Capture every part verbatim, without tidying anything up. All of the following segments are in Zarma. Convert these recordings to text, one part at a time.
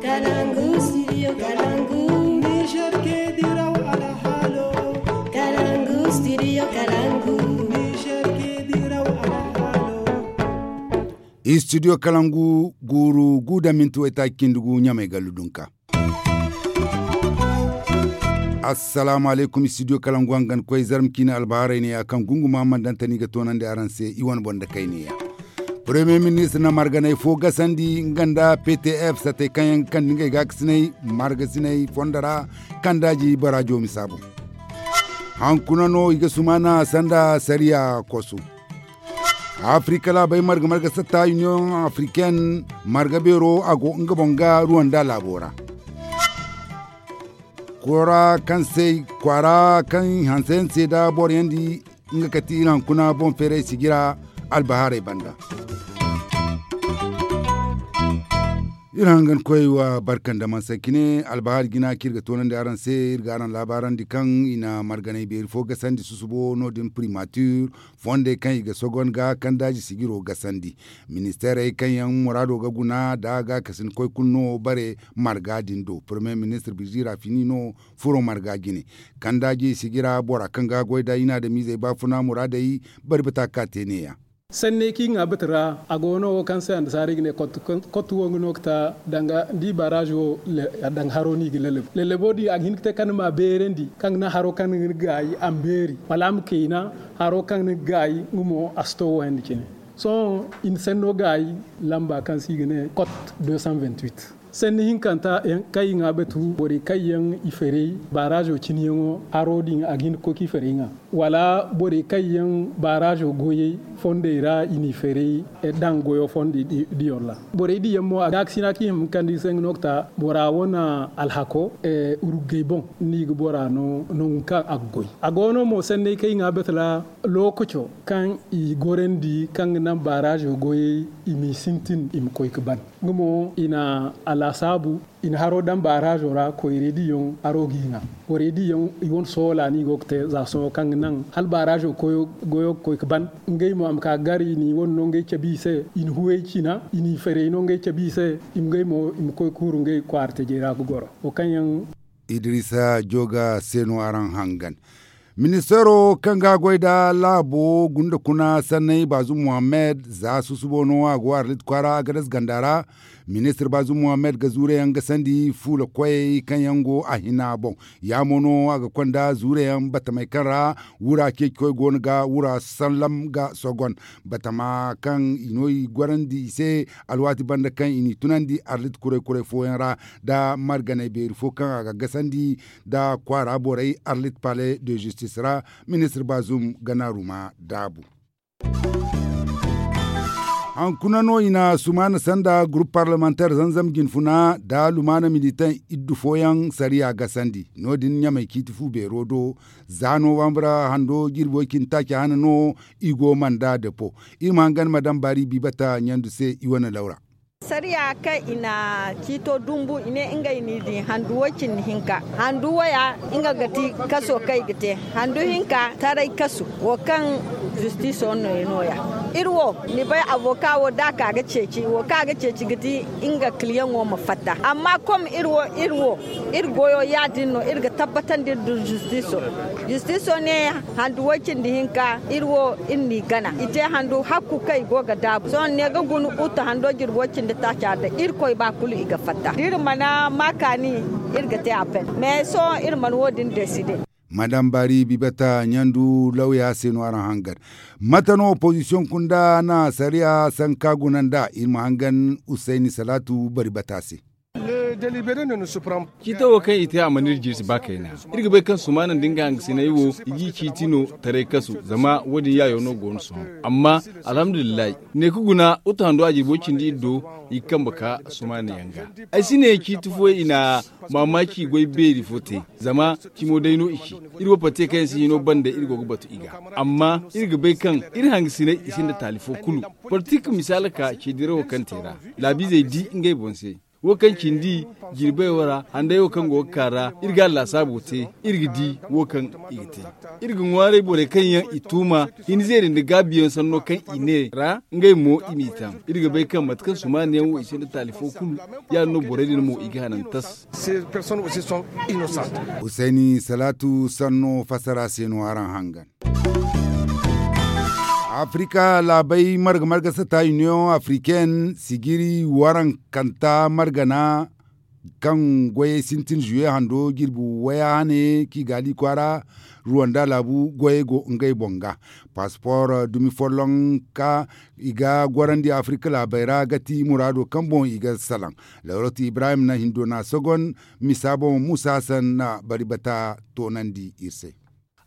Kalangu studio kalangu. Niger ke diraw alhalo. Kalangu studio kalangu. Niger ke diraw alhalo. Studio kalangu guuru gu da minti waytaaci cindi gu ɲamay gallu dunka. Assalaamu alaykum studio kalangu hangan koy zarma ciine albaharay ne ya kaŋ gunguma mandanta no i ga toonandi araŋ se i wane boŋ da kayne ya. Premier ministre na marganay fo gasandi nga nda ptf satey kaŋ yaŋ ga kande ngey gaakasinay margasinay fondo ra kaŋ daaji baraajo misa boŋ. Hankuna no i ga sumaana sanda sariya kosu. Afirika laabey marga marga satta union africaine marga beero a go nga boŋ ga ruwanda laabo ra. Koora kaŋ se kwaara kaŋ hanse hanse da boro yaŋ di nga kati iri hankuna boŋ feeray sijira albahaarey banda. Iri hangan koy wa barka nda mansa cine albahaari jina kaŋ iri ga toonandi araŋ se iri ga araŋ laabaarandi kaŋ i na marganay beeri fo gasandi susubo no- din primature fondey kaŋ i ga sogon ga kandaaji sijiro gasandi. Ministeerey kaŋ yaŋ muraado ga guna nda gaakasin koy kulu no bare marga din do premier ministre birjira fini no furo marga jine. Kandaaji sijira bora kaŋ ga goy nda i na adamiizey baafuna muraadey bari bata ka te neeya. Sanney kaŋ i ŋwa bati ra a go no wo kaŋ se annasaarey ga ne kottu wo nga no ga ta danga da i baaraazi wo danga haro no i ga lallabo lallabo din a ga hin ga te kaŋ ni ma a beerandi kaŋ ga naŋ haro kaŋ ni ga gaayi a ma beeri wala a ma kayna haro kaŋ ni ga gaayi nga mo a si to wo yaŋ da cine. Sohõ i na sanno gaayi lamba kaŋ se i ga ne kot deux cent vingt-huit. Sanni hinkanta kaŋ i ŋwa batu borey kaŋ yaŋ i faray baaraazo cine yaŋo haro din a ga hin ga koy kaŋ i faray ŋwa wala borey kaŋ yaŋ baaraazo goyey fondey ra i n'i faray daŋ goyo fondo diyo ra. Borey din yaŋ mo a gaakasina kaŋ i hima ga kande i se nga no ga ta bora wane alhako urugey boŋ ni ga bora no nangu kaŋ a ga goy. A go no mo sanney kaŋ i ŋwa batu ra lookaco kaŋ i gorandi kaŋ ga naŋ baaraazo goyey i m'i sintin i ma koy ga ban. Nga mo i na a laasaabu i na haro daŋ baaraazo ra koyrey diyaŋ haro g'i ŋwa. Borey diyaŋ i wane soola no i go ga te za sohõ kaŋ ga naŋ hala baaraazo goyo ga koy ga ban. Ngey mo a ma ka ga gar i n'i wane no ngey cabe i se i na huwey cina i n'i ferey no ngey cabe i se i ma ngey mo i ma koy ga huru ngey kwaara tajey ra ga goro wo kaŋ yaŋ. Idrisa jooga se no araŋ hangan. Ministeero kaŋ ga goy nda laabo gunda kuna sanney baazum muhammed za susubo no a go arlit kwaara agadas ganda ra. Ministir baazum muhammed ga zuure yaŋ ga sandi fuula koyey kaŋ yaŋ go a hina boŋ. Ya mo no a ga konda zuure yaŋ batamey kaŋ ra wura ceeci koy go no ga wura sallam ga sogon batama kaŋ i no i gorandi i se alwaati banda kaŋ i n'i tunandi arlit kuray kuray fooyaŋ ra nda marganay beeri fo kaŋ a ga gasandi nda kwaara borey arlit palais de justice ra. Ministir baazum gana ruma daabu. Hankuna no i na sumaana sanda gurup parlemanteer zanzam jinfuna nda lumaana militaŋ iddu fooyaŋ sariya gasandi no- din ɲamay ciiti fu beero do. Za nowambra hando jirbi way cindi taaci hana no i go manda depo. Iri ma hangan madam baari biibata ɲandu se i wane lawra. Sariya kaŋ i na ciito dumbu i ne ngey n'i di handu way cindi hinka. Handu waya nga ga ti kaso kaŋ i ga te handu hinka taray kasu wo kaŋ zistiso no i nooya. Iri wo ni bay avoka wo da a ka ga ceeci wo kaŋ a ga ceeci ga ti nga kiliyaŋo ma fatta amma kom iri wo iri wo iri goyo ya- din no iri ga tabbatandi iri du zistiso. Zistiso ne handu way cindi hinka iri wo iri n'i gana i te handu hakku kaŋ i go ga daabu sohõ ne ga guna uta hando jirbi way cindi taaca da irkoy ba kulu i ga fatta da iri mana ma kaani iri ga te a pen mais sohõ iri mana wo- din deside. Madam baari bibata ɲandu lawya se no araŋ hangar. Mate no opozisiyoŋ kunda na sariya sanka guna nda iri ma hangan usayni salaatu bari bata se. Ciito wo kaŋ i te a mana iri jirsi ba kayna. Iri ga bay kaŋ sumaana nda nga hangasinay wo i g'i ciiti no taray kasu zama wo- din yaayo no go no sohõ. Amma alhamdulillahi ne ka guna uta hando a jirbo cindi iri do i ga kambe ka sumaana yaŋ ga. Ay si ne ciiti fooyaŋ i na maamaaci goy beeri fo te zama cimo day no i ci. Iri wo pate kaŋ yaŋ si hino banda iri go ga batu i ga amma iri ga bay kaŋ iri hangasinay i sinda taali fo kulu. Politik misaala ka ceedirawo kaŋ te ra laabiizey di ngey boŋ se. Wo kaŋ cindi jirbey wo ra handay wo kaŋ go ga ka ra iri ga a laasaabo te, iri ga di wo kaŋ i ga te. Iri ga ŋwaaray borey kaŋ yaŋ i tuuma hinzeeri nda gaabiyaŋ sanno kaŋ i ne ra ngey mo i m'i taŋ. Iri ga bay kaŋ mate kaŋ sumaani yaŋ wo i sinda taali fo kulu, ya- din no borey din mo i ga hanan tas. Husayni salaatu sanno fassara se no araŋ hangan. Afrika laabey marga marga sata union africaine sijiri warankanta margana kaŋ goyey sintin juwe hando jirbi waya hane kigali kwaara ruwanda laabu goyey go ngey boŋ ga. Passport dumi folloŋ ka i ga gorandi afrika laabey ra ga ti muraado kaŋ boŋ i ga salaŋ. Lawratu ibrahim na hindo na sogon misa boŋ musa hassan na bari bata toonandi iri se.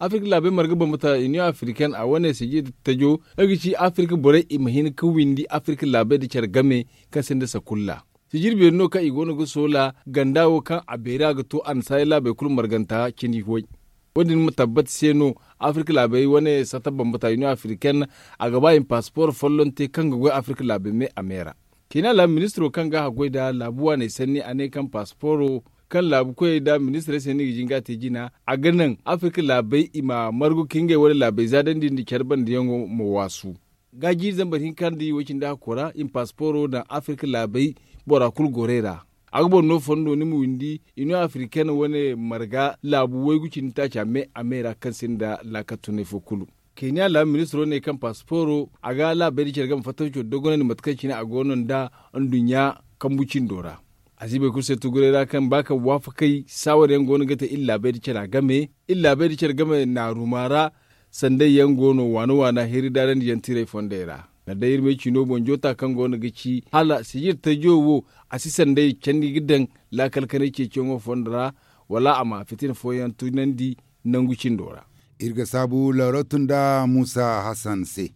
Afirka laabey marga bambata union africaine a wane sijir tajo nga ga ci afirka borey i ma hin ga windi afirka laabey nda care game kaŋ sinda sakulla. Sijir beeri no kaŋ i go no ga soola ganda wo kaŋ a beeri a ga to annasaarey laabey kulu marganta cindi way. Wo- din ma tabbat se no afirka laabey wane sata bambata union africaine a ga ba i ma paspor folloŋ te kaŋ ga goy afirka laabey me a me ra. Kina laabu ministiro kaŋ ga haggoy nda laabu waaney sanni a ne kaŋ pasporo kaŋ laabu koyey nda ministirey se no i ga jin ga a te jina, a ga naŋ afirka laabey i ma margu ka ngey wane laabey zaadandi nda care bandiyaŋo ma waasu. Ga jiiri zambar hinka nda i way cindi hakko ra i ma pasporo daŋ afirka laabey bora kulu gorey ra. A ga boro no fondo ni ma windi union africaine wane marga laabu waygu cindi taaca me a me ra kaŋ sinda laakal tunay fo kulu. Kenya laabu ministiro ne kaŋ pasporo a ga laabey da care game fattancoo dogonandi mate kaŋ cine a go no nda nduɲɲa kambu cindo ra. A si bay kulu se tuguray ra kaŋ ba kaŋ waafakay saawar yaŋ go no ga te iri laabey da cara game iri laabey da care game naaruma ra. Sanday yaŋ go no waana waana heri daarandi yaŋ tiray fondey ra. Kala day iri may ciino boŋ joota kaŋ go no ga ci hala sijir tajo wo a si sanday candi ga daŋ laakal kanay ceeciyaŋo fondo ra wala a ma fitina fooyaŋ tunandi nangu cindo ra. Iri ga saabu lawratu nda muusa hassan se.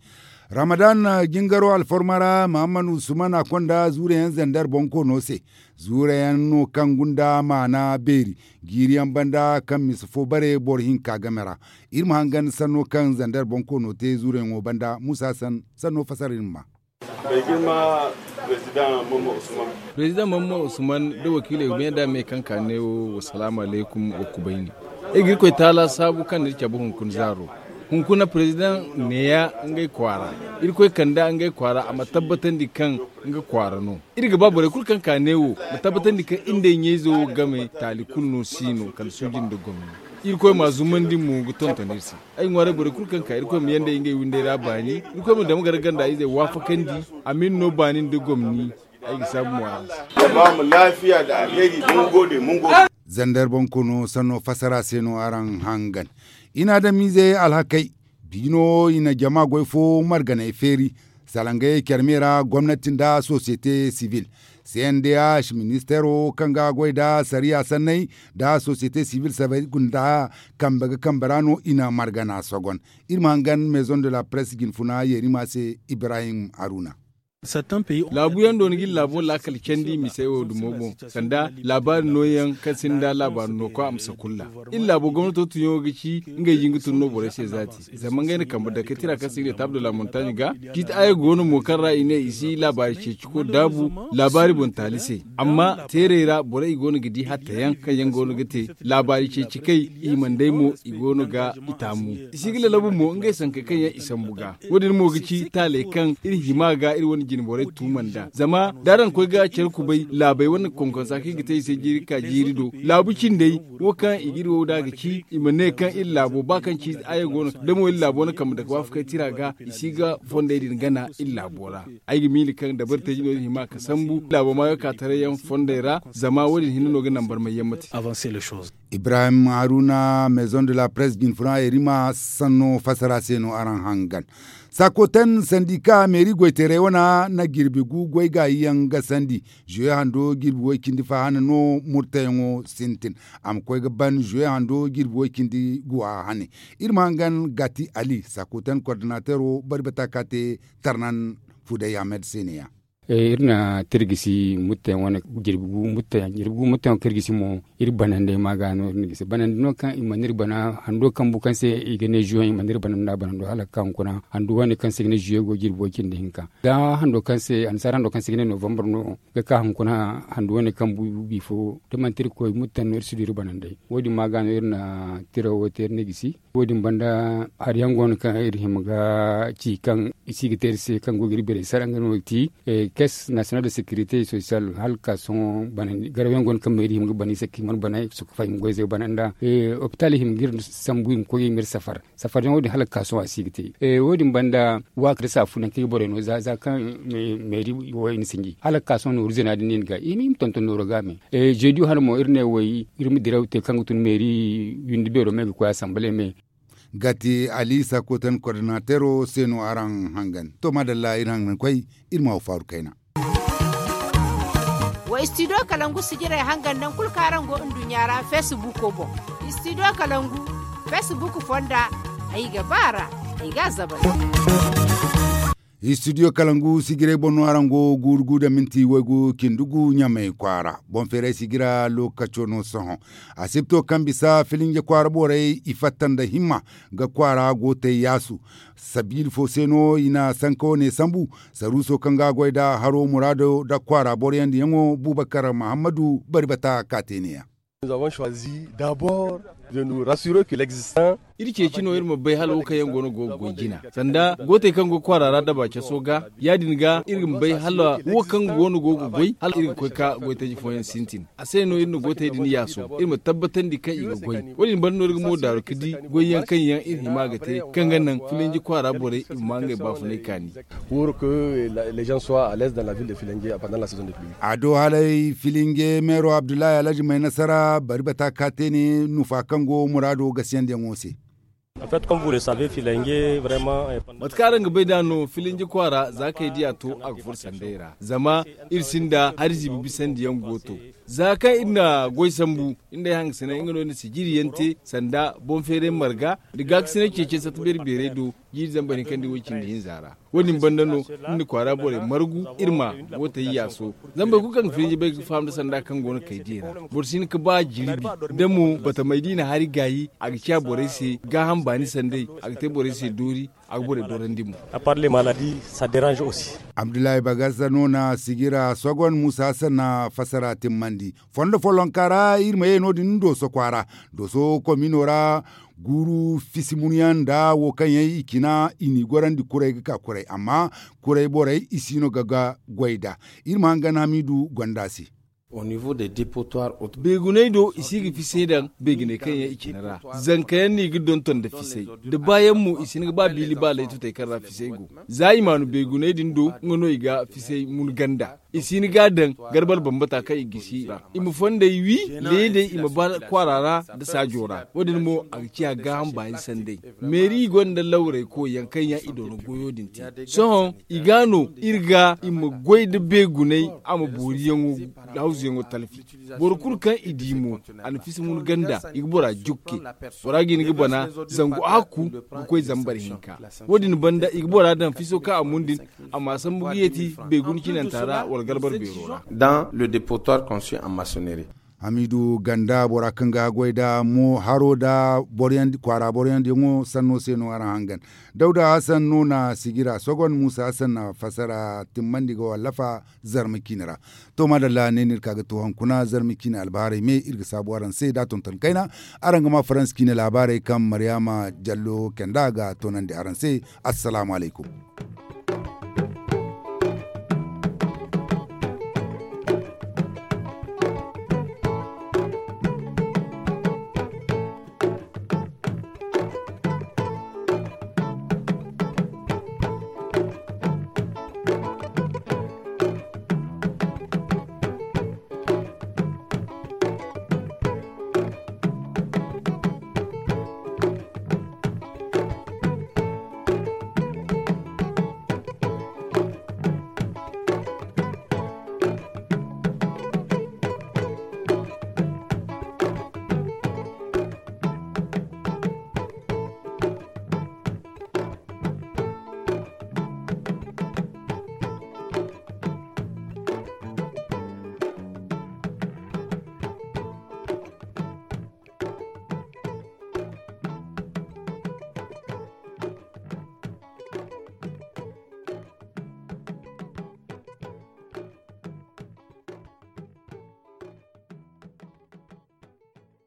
Ramadan jingaro alfarma ra mahammad usman a konda zuure yaŋ zandar boŋ koono se. Zuure yaŋ no kaŋ gunda maana beeri jiiri yaŋ banda kaŋ misa fo bare boro hinka game ra. Iri ma hangan sanno kaŋ zandar boŋ koono te zuure yaŋo banda muusa hassan sanno fasara iri ma ma. Prezidaŋ mamman usman da wakiiley ga meeda me kaŋ ka ne wo wasalaamu alaykum wa kubayni. Iri ga irkoy taala saabu kaŋ na iri cabe hunkuna zaaro. Hunkuna prezidaŋ neeya ngey kwaara. Irkoy kanda ngey kwaara a ma tabbatandi kaŋ nga kwaara no. Iri ga ba borey kulu kaŋ ka ne wo ma tabbatandi kaŋ iri nda ay ɲayzo game taali kulu no si no kala suuji nda gomni. Irkoy ma a zumandi mo ga tonton iri se. Ay ŋwaaray borey kulu kaŋ ka irkoy ma yanda ngey windey ra baani. Irkoy ma dama gar ganda izey waafakandi. A ma iri no baani nda gomni. Ay ga saabu mo araŋ se. Zandar boŋ koono sanno fassara se no araŋ hangan. I na adamiizey alhakey. Biino i na jama goy fo marganey feeri salangey care me ra gomnati nda sosiyete sibil. C n d h ministeero kaŋ ga goy nda sariya sanney nda sosiyete sibil sabay gunda kambe ga kambe ra no i na margana sogon. Iri ma hangan maison de la presse jinfuna yeerima se ibrahim haruna. Laabu yaŋ do ni ga iri laabo laakal candi misey wo dumo boŋ sanda laabaari nooyaŋ kaŋ sinda laabaari nooko a ma sakulla. Iri laabo gomnato tunyaŋo ga ci ngey jin ga tun no borey se zaati. Zama ngey na kambe dakey tira kaŋ se i ga ne taabdo la montagne ga. Ciiti aya go no mo kaŋ ra i ne i si laabaari ceeciko daabu laabaari boŋ taali se. Amma teerey ra borey i go no ga di hatta yaŋ kaŋ yaŋ go no ga te laabaari ceeci kay i mana day mo i go no ga i taamu. I si ga lalabu mo ngey sankey kaŋ yaŋ i sambu ga. Wo- din mo ga ci taaley kaŋ iri hima ga iri wane jine borey tuuma nd'a zama da araŋ koy ga care kubay laabey wane konkonsa kaŋ i ga te i se jiiri ka jiiri do laabu cindey. Wo kaŋ i ga iri wo da ga ci i ma ne kaŋ iri laabo ba kaŋ ci aya go no da mo iri laabo wane kambe dake waafakay tira ga i si ga fondey din gana iri laabo ra. Ay ga miila kaŋ dabari teeji no iri hima ka sambu laabo maayo ka taray yaŋ fondey ra zama wo- din hinne no ga naŋ barmay yaŋ ma te. Ibrahim haruna maison de la presse jinfuna yerima sanno fassara se no araŋ hangan. Sakoten sandika meeri goyteerey wana na jirbi gu goy gaayi yaŋ gasandi. Juwe hando jirbi woy cindi fa hane no murtayaŋo sintin. A ma koy ga ban juwe hando jirbi woy cindi guwa hane. Iri ma hangan gati ali sakoten kordinateero bari bata ka te tarnan fuday ahmed se neeya. Iri na tirgisi muttayaŋ wane jirbi gu muttayaŋ jirbi gu muttayaŋ kaŋ iri gisi mo, iri banandey ma ga no iri na gisi banandi no kaŋ i mana iri bana hando kambu kaŋ se i ga ne juwaŋ i mana iri bana nda banando hala ga ka hunkuna handu wane kaŋ se i ga ne juwaŋ go jirbo cindi hinka. Ga hando kaŋ se annasaara hando kaŋ se i ga ne novambar no ga ka hunkuna handu wane kambu bifo da manti iri koy muttayaŋ no iri si du iri banandey. Wo- din ma ga no iri na tiro wo te iri na gisi. Wo- din banda hari yaŋ go no kaŋ iri hima ga ci kaŋ i si ga te iri se kaŋ go ga iri beeray sara nga no ga ti caisse nationale de sécurité sociale hala ga ka sohõ banandi garaw yaŋ go no kaŋ meeri hima ga bana i se kaŋ i mana bana i ga sohõ ga faham goy zey bana nda. Hopital hima ga iri sambu i ma koy i ma iri safar safar yaŋ wo- din hala ga ka sohõ a si ga te. Wo- din banda waaka nda saafu nangu kaŋ i ga borey no za kaŋ meeri wo i na sinji hala ga ka sohõ nooru zina din no i na ga i ma i ma tonton nooro ga me. Jeediyo hane mo iri ne wo iri ma diraw te kaŋ ga tun meeri windi beero me ga koy asamble me. Gati ali sakotan kordinateero se no araŋ hangan to maadalla iri hangan koy iri ma wo faaru kayna. Wa istidiyo kalangu sijirey hangan naŋ kulu kaŋ araŋ go nduɲɲa ra feesibuuko boŋ. Istidiyo kalangu feesibuuku fonda ay ga ba a ra ay ga a zabari. Istidiyo kalangu sijiray boŋ no araŋ go guuru gu nda minti waygu cindi gu ɲamay kwaara boŋ feeray sijira lookaco no sohõ. Asibto kaŋ bisa filinje kwaara borey i fatta nda himma ga kwaara gootey yaasu. Sabiila fo se no i na sanka wane sambu. Saruuso kaŋ ga a goy nda haro muraado nda kwaara boroyaŋ diyaŋo buubakar mahammadu bari bata ka te neeya. Iri ceeci no iri ma bay hala wo kaŋ yaŋ go no go ga goy jina sanda gootey kaŋ go kwaara ra daba caso ga ya- din ga iri ma bay hala wo kaŋ go no go ga goy hala iri ga koy ka goytaji fooyaŋ sintin. A se no iri na gootey din yaaso iri ma tabbatandi kaŋ i ga goy. Wo- din banda no iri ga mo daaru ga di goyyaŋ kaŋ yaŋ iri hima ga te kaŋ ga naŋ filinji kwaara borey i ma ma ngey baafunay kaani. Pour que les gens soient à l'aise dans la ville de filinge pendant la saison de pluie. A do halay filinge meero abdullahi alhaji may nasara bari bata ka te ne nufa kaŋ go muraado gasiyandiyaŋo se. Mate kaŋ araŋ ga bay nd'a no filinji kwaara za kaŋ ay diya to a ga furo sanday ra zama iri sinda hari ziibi bisandiyaŋ go to. Za kaŋ iri na goy sambu iri na ay hangasinay nga no iri na sijiri yaŋ te sanda boŋ feeray marga nda gaakasinay ceecey satta beeri beeray do jiiri zambar hinka nda way cindi hinza ra. Wo- din banda no iri na kwaara borey margu iri ma gootey yaaso. Zama boro kulu kaŋ ga filinji bay ga faham nda sanda kaŋ go no kay diya ra boro si hin ga ba jirbi da mo batamey da i na hari gaayi a ga ciya borey se gaaham baani sanday. A ga te borey se doori a ga borey dorandi mo. Abdullahi bagasa no na sijira sogon muusa hassan na fassara timmandi. Fondo follonka ra iri ma ye no- din dooso kwaara dooso komino ra guuru fisi munyaŋ nda wo kaŋ yaŋ i cina i n'i gorandi kuray ga ka kuray amma kuray borey i si no ga ga goy nd'a. Iri ma hangan hamidu gonda se. Beeguney do i si ga fisay daŋ beeguney kaŋ yaŋ i cina ra. Zanka yaŋ no i ga donton nda fisay da baayaŋ mo i si hin ga ba biili ba laytutey kaŋ ra fisay go. Za i maanu beeguney din do nga no i ga fisay mun ganda i si hin ga a daŋ garbal bambata kaŋ i gisi i ra i ma fonday wi leedey i ma ba kwaara ra nda saajo ra. Wo- din mo a ga ciya gaaham baani sanday. Meeri i gonda lawray koyyaŋ kaŋ yaŋ i doona goyo din te. Sohõ i ga no iri ga i ma goy nda beegunay a ma booriyaŋo hawzuyaŋo talfi. Boro kulu kaŋ i di mo a na fisi mun ganda i ga bora jukke. Bora ga hin ga bana zangu hakku ga koy zambar hinka. Wo- din banda i ga bora daŋ fiso kaŋ a mun din a ma sambu ga yeeti beeguna cinanta ra wala garbar beero ra. Dans le dépotoir conçu en maçonnerie. Hamidu ganda bora kaŋ ga goy nda mo haro nda kwaara boroyaŋ diyaŋo sanno se no araŋ hangan. Dawda hassan no na sijira sogon muusa hassan na fassara timmandi ga wallafa. Zarma ciine ra. To maadalla ne no iri ka ga to hunkuna zarma ciine albahaarey me iri ga saabu araŋ se da tonton kayna. Araŋ ga ma faransa ciine laabaarey kaŋ maryaama jallo kenda ga toonandi araŋ se. Assalaamu alaykum.